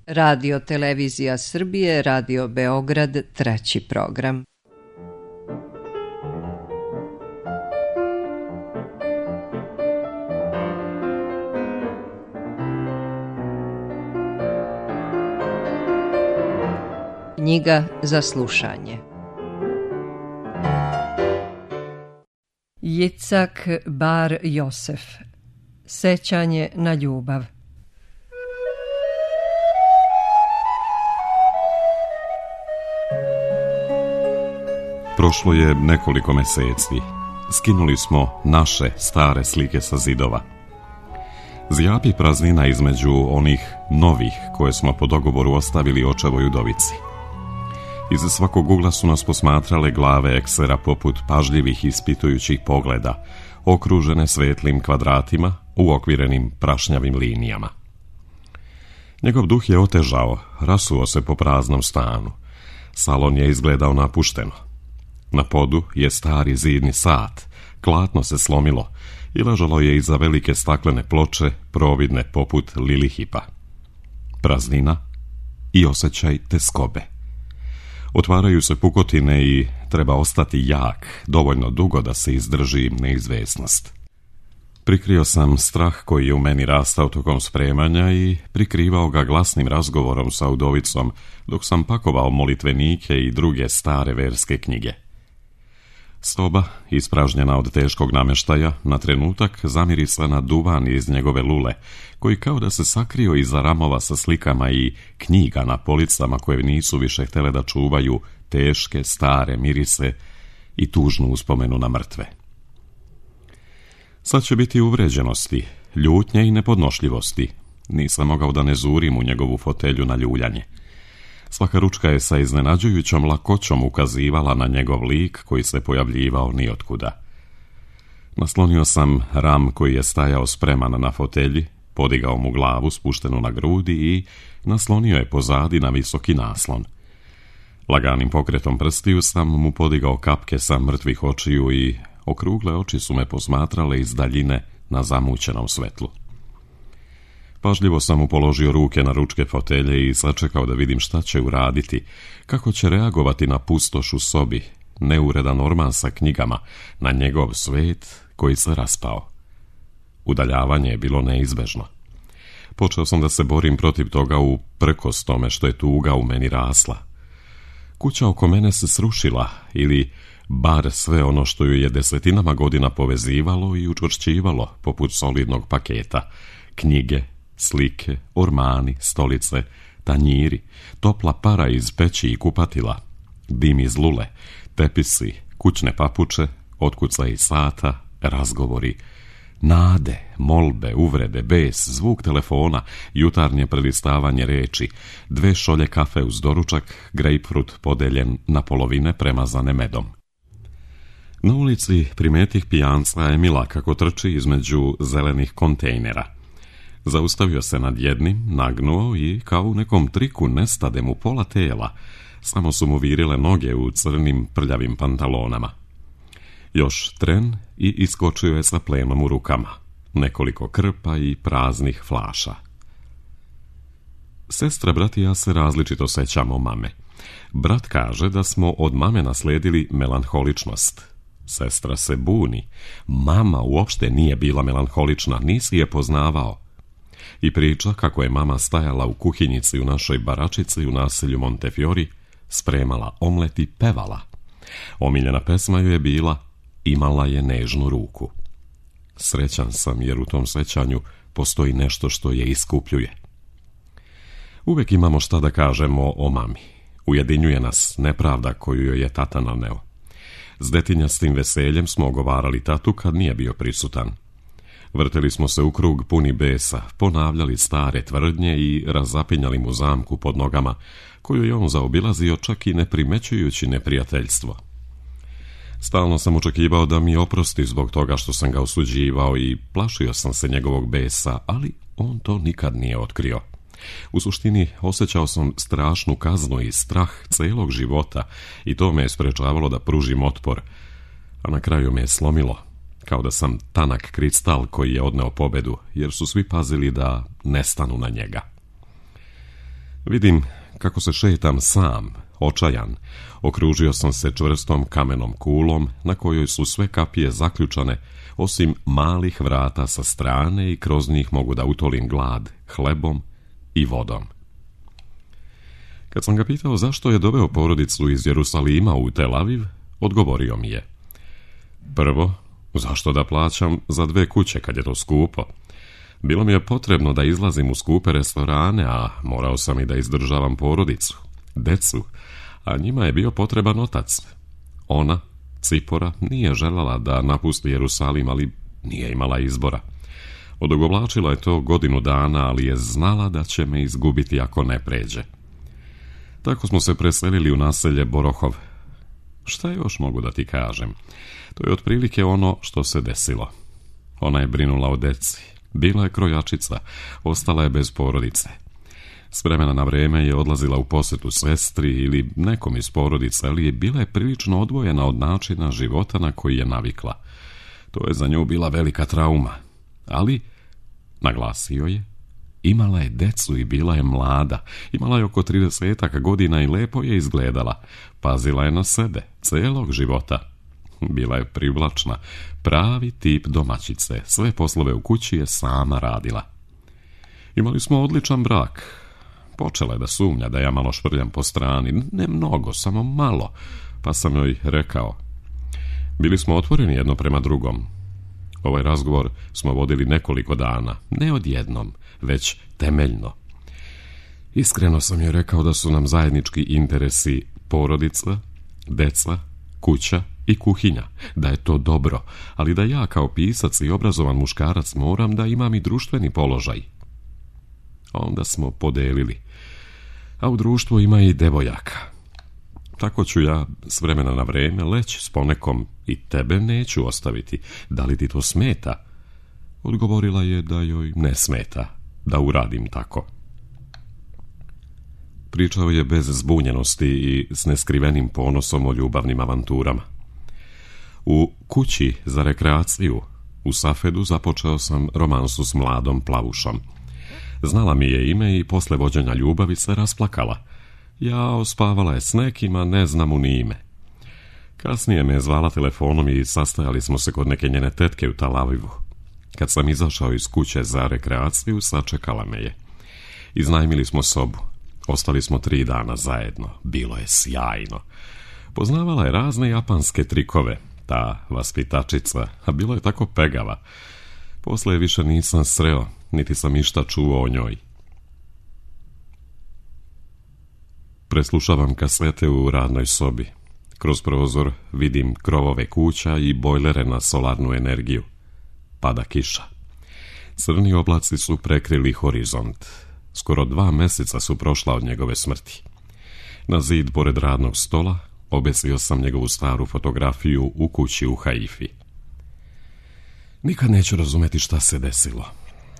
Radio Televizija Srbije, Radio Beograd, 3. program. Knjiga za slušanje. Jicak Bar Josef. Sećanje na ljubav. Prošlo je nekoliko meseci. Skinuli smo naše stare slike sa zidova. Zjapi praznina između onih novih koje smo po dogovoru ostavili očevoj udovici. Iz svakog ugla su nas posmatrale glave eksera poput pažljivih ispitujućih pogleda, okružene svetlim kvadratima, uokvirenim prašnjavim linijama. Njegov duh je otežao, rasuo se po praznom stanu. Salon je izgledao napušteno. Na podu je stari zidni sat, klatno se slomilo i ležalo je iza velike staklene ploče, providne poput lilihipa. Praznina i osjećaj teskobe. Otvaraju se pukotine i treba ostati jak, dovoljno dugo da se izdrži neizvesnost. Prikrio sam strah koji je u meni rastao tokom spremanja i prikrivao ga glasnim razgovorom sa udovicom dok sam pakovao molitvenike i druge stare verske knjige. Soba, ispražnjena od teškog namještaja, na trenutak zamirisla na duvan iz njegove lule, koji kao da se sakrio iza ramova sa slikama i knjiga na policama koje nisu više htjele da čuvaju teške, stare mirise i tužnu uspomenu na mrtve. Sad će biti uvređenosti, ljutnje i nepodnošljivosti. Nisam mogao da ne zurim u njegovu fotelju na ljuljanje. Svaka ručka je sa iznenađujućom lakoćom ukazivala na njegov lik koji se pojavljivao nijotkuda. Naslonio sam ram koji je stajao spreman na fotelji, podigao mu glavu spuštenu na grudi i naslonio je pozadi na visoki naslon. Laganim pokretom prstiju sam mu podigao kapke sa mrtvih očiju i okrugle oči su me posmatrale iz daljine na zamućenom svetlu. Pažljivo sam mu položio ruke na ručke fotelje i sačekao da vidim šta će uraditi, kako će reagovati na pustoš u sobi, neuredan orman sa knjigama, na njegov svet koji se raspao. Udaljavanje je bilo neizbežno. Počeo sam da se borim protiv toga uprkos tome što je tuga u meni rasla. Kuća oko mene se srušila, ili bar sve ono što ju je desetinama godina povezivalo i učvršćivalo poput solidnog paketa, knjige, slike, ormani, stolice, tanjiri, topla para iz peći i kupatila, dim iz lule, tepisi, kućne papuče, otkucaji sata, razgovori, nade, molbe, uvrede, bes, zvuk telefona, jutarnje prelistavanje reči, 2 šolje kafe uz doručak, grejpfrut podeljen na polovine premazane medom. Na ulici primetih pijanca Emila kako trči između zelenih kontejnera. Zaustavio se nad jednim, nagnuo i kao u nekom triku nestade mu pola tela, samo su mu virile noge u crnim prljavim pantalonama. Još tren i iskočio je sa plenom u rukama, nekoliko krpa i praznih flaša. Sestra, brat i ja se različito sećamo mame. Brat kaže da smo od mame nasledili melanholičnost. Sestra se buni. Mama uopšte nije bila melanholična, nisi je poznavao. I priča kako je mama stajala u kuhinjici u našoj baračici u naselju Montefiori, spremala omlet i pevala. Omiljena pesma ju je bila Imala je nežnu ruku. Srećan sam jer u tom sećanju postoji nešto što je iskupljuje. Uvek imamo šta da kažemo o mami. Ujedinjuje nas nepravda koju joj je tata naneo. S detinjastim veseljem smo ogovarali tatu kad nije bio prisutan. Vrteli smo se u krug puni besa, ponavljali stare tvrdnje i razapinjali mu zamku pod nogama, koju je on zaobilazio čak i ne primećujući neprijateljstvo. Stalno sam očekivao da mi oprosti zbog toga što sam ga osuđivao i plašio sam se njegovog besa, ali on to nikad nije otkrio. U suštini osjećao sam strašnu kaznu i strah celog života i to me je sprečavalo da pružim otpor, a na kraju me je slomilo, kao da sam tanak kristal koji je odneo pobedu, jer su svi pazili da ne stanu na njega. Vidim kako se šetam sam, očajan. Okružio sam se čvrstom kamenom kulom na kojoj su sve kapije zaključane, osim malih vrata sa strane i kroz njih mogu da utolim glad hlebom i vodom. Kad sam ga pitao zašto je doveo porodicu iz Jerusalima u Tel Aviv, odgovorio mi je: prvo, zašto da plaćam za 2 kuće kad je to skupo? Bilo mi je potrebno da izlazim u skupe restorane, a morao sam i da izdržavam porodicu, decu, a njima je bio potreban otac. Ona, Cipora, nije željela da napusti Jerusalim, ali nije imala izbora. Odugovlačila je to 1 godinu dana, ali je znala da će me izgubiti ako ne pređe. Tako smo se preselili u naselje Borohov. Šta još mogu da ti kažem? To je otprilike ono što se desilo. Ona je brinula o deci. Bila je krojačica, ostala je bez porodice. S vremena na vreme je odlazila u posjetu sestri ili nekom iz porodice, ali je bila je prilično odvojena od načina života na koji je navikla. To je za nju bila velika trauma. Ali, naglasio je, imala je decu i bila je mlada. Imala je oko 30 godina i lepo je izgledala. Pazila je na sebe, celog života. Bila je privlačna, pravi tip domaćice. Sve poslove u kući je sama radila. Imali smo odličan brak. Počela je da sumnja da ja malo švrljam po strani. Ne mnogo, samo malo. Pa sam joj rekao. Bili smo otvoreni jedno prema drugom. Ovaj razgovor smo vodili nekoliko dana. Ne odjednom, već temeljno. Iskreno sam joj rekao da su nam zajednički interesi porodica, deca, kuća i kuhinja, da je to dobro, ali da ja kao pisac i obrazovan muškarac moram da imam i društveni položaj. Onda smo podelili. A u društvu ima i devojaka. Tako ću ja s vremena na vreme leći s ponekom i tebe neću ostaviti. Da li ti to smeta? Odgovorila je da joj ne smeta da uradim tako. Pričao je bez zbunjenosti i s neskrivenim ponosom o ljubavnim avanturama. U kući za rekreaciju u Safedu započeo sam romansu s mladom plavušom. Znala mi je ime i posle vođenja ljubavi se rasplakala. Jao, spavala je s nekima, ne znam mu ni ime. Kasnije me je zvala telefonom i sastajali smo se kod neke njene tetke u Tel Avivu. Kad sam izašao iz kuće za rekreaciju, sačekala me je. Iznajmili smo sobu. Ostali smo 3 dana zajedno. Bilo je sjajno. Poznavala je razne japanske trikove, ta vaspitačica, a bilo je tako pegava. Posle je više nisam sreo, niti sam išta čuo o njoj. Preslušavam kasete u radnoj sobi. Kroz prozor vidim krovove kuća i bojlere na solarnu energiju. Pada kiša. Crni oblaci su prekrili horizont. Skoro 2 meseca su prošla od njegove smrti. Na zid pored radnog stola obesio sam njegovu staru fotografiju u kući u Haifi. Nikad neću razumeti šta se desilo.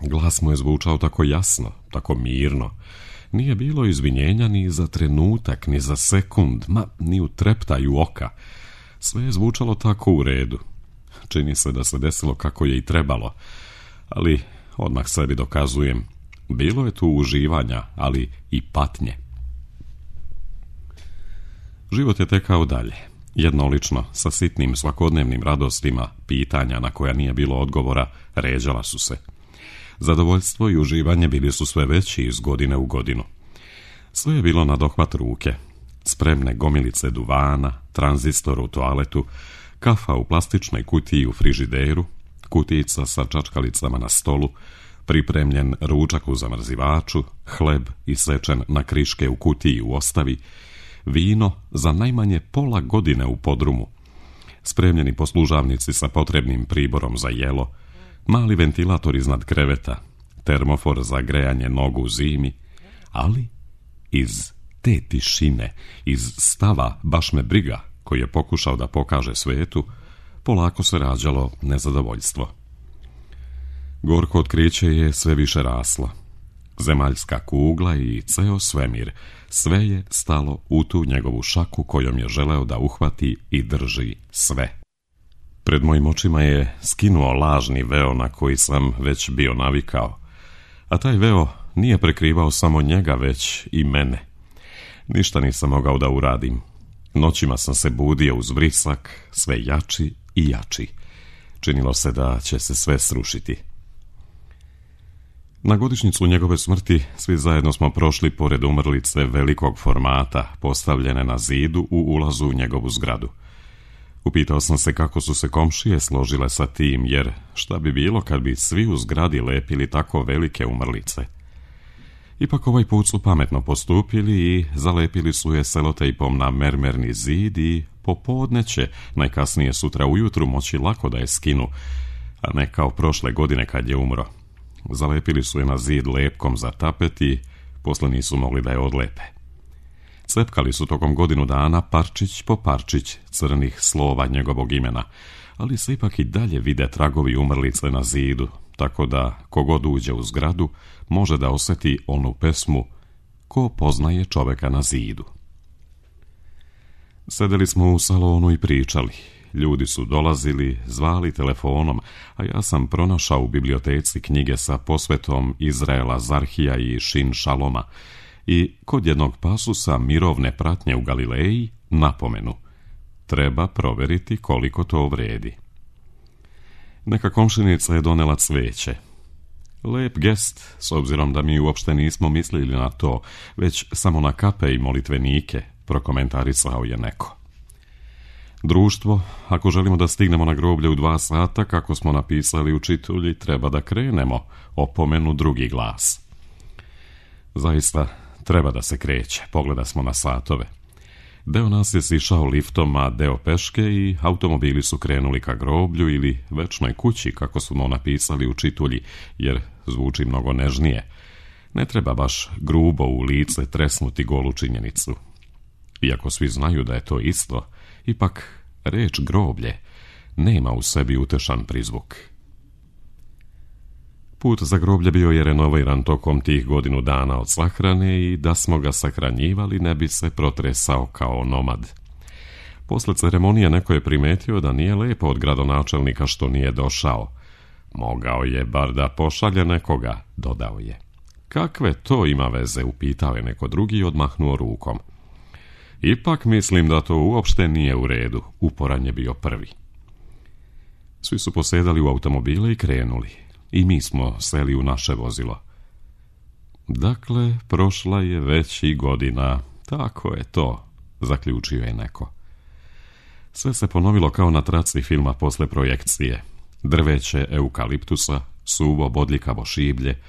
Glas mu je zvučao tako jasno, tako mirno. Nije bilo izvinjenja ni za trenutak, ni za sekund, ni u treptaju oka. Sve je zvučalo tako u redu. Čini se da se desilo kako je i trebalo, ali odmah sebi dokazujem, bilo je tu uživanja, ali i patnje. Život je tekao dalje, jednolično, sa sitnim svakodnevnim radostima, pitanja na koja nije bilo odgovora, ređala su se. Zadovoljstvo i uživanje bili su sve veći iz godine u godinu. Sve je bilo na dohvat ruke. Spremne gomilice duvana, tranzistor u toaletu, kafa u plastičnoj kutiji u frižideru, kutijica sa čačkalicama na stolu, pripremljen ručak u zamrzivaču, hleb isečen na kriške u kutiji u ostavi, vino za najmanje pola godine u podrumu, spremljeni poslužavnici sa potrebnim priborom za jelo, mali ventilator iznad kreveta, termofor za grejanje nogu u zimi, ali iz te tišine, iz stava baš me briga koji je pokušao da pokaže svetu, polako se rađalo nezadovoljstvo. Gorko otkriće je sve više raslo. Zemaljska kugla i ceo svemir, sve je stalo u tu njegovu šaku kojom je želeo da uhvati i drži sve. Pred mojim očima je skinuo lažni veo na koji sam već bio navikao, a taj veo nije prekrivao samo njega, već i mene. Ništa nisam mogao da uradim. Noćima sam se budio uz vrisak, sve jači i jači. Činilo se da će se sve srušiti. Na godišnjicu njegove smrti svi zajedno smo prošli pored umrlice velikog formata, postavljene na zidu u ulazu u njegovu zgradu. Upitao sam se kako su se komšije složile sa tim, jer šta bi bilo kad bi svi u zgradi lepili tako velike umrlice. Ipak ovaj put su pametno postupili i zalepili su je selotejpom na mermerni zid i popodne će, najkasnije sutra ujutru, moći lako da je skinu, a ne kao prošle godine kad je umro. Zalepili su je na zid lepkom za tapet i posle nisu mogli da je odlepe. Cepkali su tokom godinu dana parčić po parčić crnih slova njegovog imena, ali se ipak i dalje vide tragovi umrlice na zidu, tako da kogod uđe u zgradu može da osjeti onu pesmu Ko poznaje čoveka na zidu. Sedeli smo u salonu i pričali. Ljudi su dolazili, zvali telefonom, a ja sam pronašao u biblioteci knjige sa posvetom Izraela Zarhija i Šin Šaloma i kod jednog pasusa mirovne pratnje u Galileji napomenu: treba proveriti koliko to vredi. Neka komšinica je donela cveće. Lep gest, s obzirom da mi uopšte nismo mislili na to, već samo na kape i molitvenike, prokomentarisao je neko. Društvo, ako želimo da stignemo na groblje u 2 sata, kako smo napisali u čitulji, treba da krenemo, opomenu drugi glas. Zaista, treba da se kreće, pogleda smo na satove. Deo nas je sišao liftom, a deo peške i automobili su krenuli ka groblju ili večnoj kući, kako smo napisali u čitulji, jer zvuči mnogo nežnije. Ne treba baš grubo u lice tresnuti golu činjenicu. Iako svi znaju da je to isto, ipak reč groblje nema u sebi utešan prizvuk. Put za groblje bio je renoviran tokom tih godinu dana od sahrane i da smo ga sahranjivali ne bi se protresao kao nomad. Posle ceremonije neko je primetio da nije lepo od gradonačelnika što nije došao. Mogao je bar da pošalje nekoga, dodao je. Kakve to ima veze, upitao je neko drugi i odmahnuo rukom. Ipak mislim da to uopšte nije u redu, uporan je bio prvi. Svi su posedali u automobile i krenuli. I mi smo seli u naše vozilo. Dakle, prošla je već i godina. Tako je to, zaključio je neko. Sve se ponovilo kao na traci filma posle projekcije. Drveće eukaliptusa, suvo bodljikavo šiblje,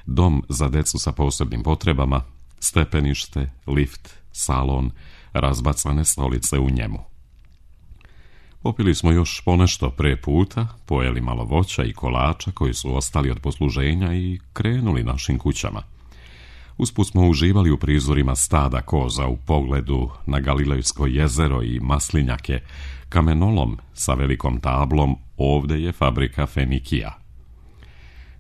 dom za decu sa posebnim potrebama, stepenište, lift, salon, razbacane stolice u njemu. Popili smo još ponešto pre puta, pojeli malo voća i kolača koji su ostali od posluženja i krenuli našim kućama. Usput smo uživali u prizorima stada koza u pogledu na Galilejsko jezero i maslinjake, kamenolom sa velikom tablom Ovde je fabrika Fenikija.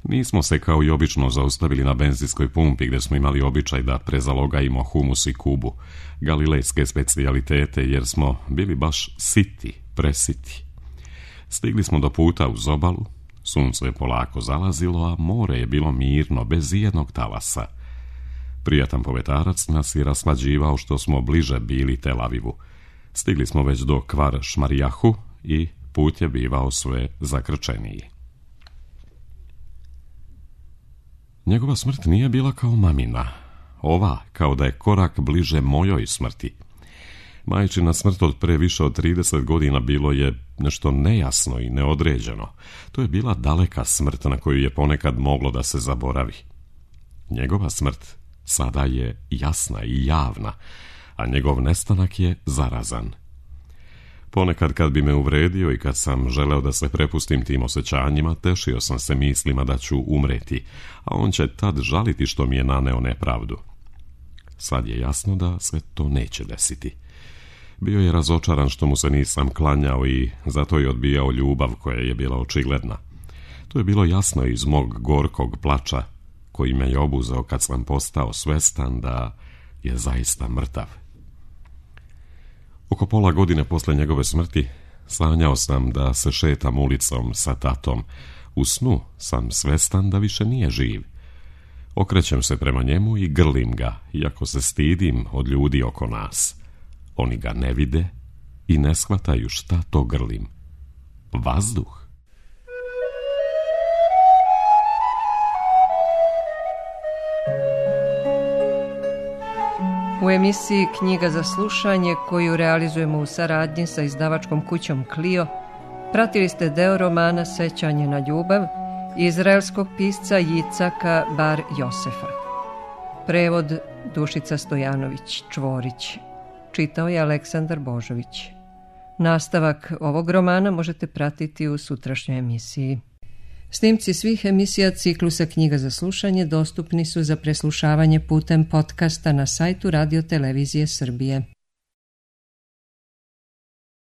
Nismo se kao i obično zaustavili na benzinskoj pumpi gdje smo imali običaj da prezalogajimo humus i kubu, galilejske specijalitete, jer smo bili baš siti, presiti. Stigli smo do puta uz obalu, sunce je polako zalazilo, a more je bilo mirno, bez ijednog talasa. Prijatan povetarac nas je raslađivao što smo bliže bili Tel Avivu. Stigli smo već do Kvar Šmarijahu i put je bivao sve zakrčeniji. Njegova smrt nije bila kao mamina. Ova, kao da je korak bliže mojoj smrti. Majčina smrt od pre više od 30 godina bilo je nešto nejasno i neodređeno. To je bila daleka smrt na koju je ponekad moglo da se zaboravi. Njegova smrt sada je jasna i javna, a njegov nestanak je zarazan. Ponekad kad bi me uvredio i kad sam želeo da se prepustim tim osjećanjima, tešio sam se mislima da ću umreti, a on će tad žaliti što mi je naneo nepravdu. Sad je jasno da se to neće desiti. Bio je razočaran što mu se nisam klanjao i zato je odbijao ljubav koja je bila očigledna. To je bilo jasno iz mog gorkog plača, koji me je obuzeo kad sam postao svestan da je zaista mrtav. Oko pola godine posle njegove smrti sanjao sam da se šetam ulicom sa tatom. U snu sam svestan da više nije živ. Okrećem se prema njemu i grlim ga, iako se stidim od ljudi oko nas. Oni ga ne vide i ne shvataju šta to grlim. Vazduh. U emisiji Knjiga za slušanje, koju realizujemo u saradnji sa izdavačkom kućom Clio, pratili ste deo romana Sećanje na ljubav izraelskog pisca Jicaka Bar Josefa. Prevod Dušica Stojanović Čvorić. Čitao je Aleksandar Božović. Nastavak ovog romana možete pratiti u sutrašnjoj emisiji. Snimci svih emisija ciklusa Knjiga za slušanje dostupni su za preslušavanje putem podcasta na sajtu Radio Televizije Srbije.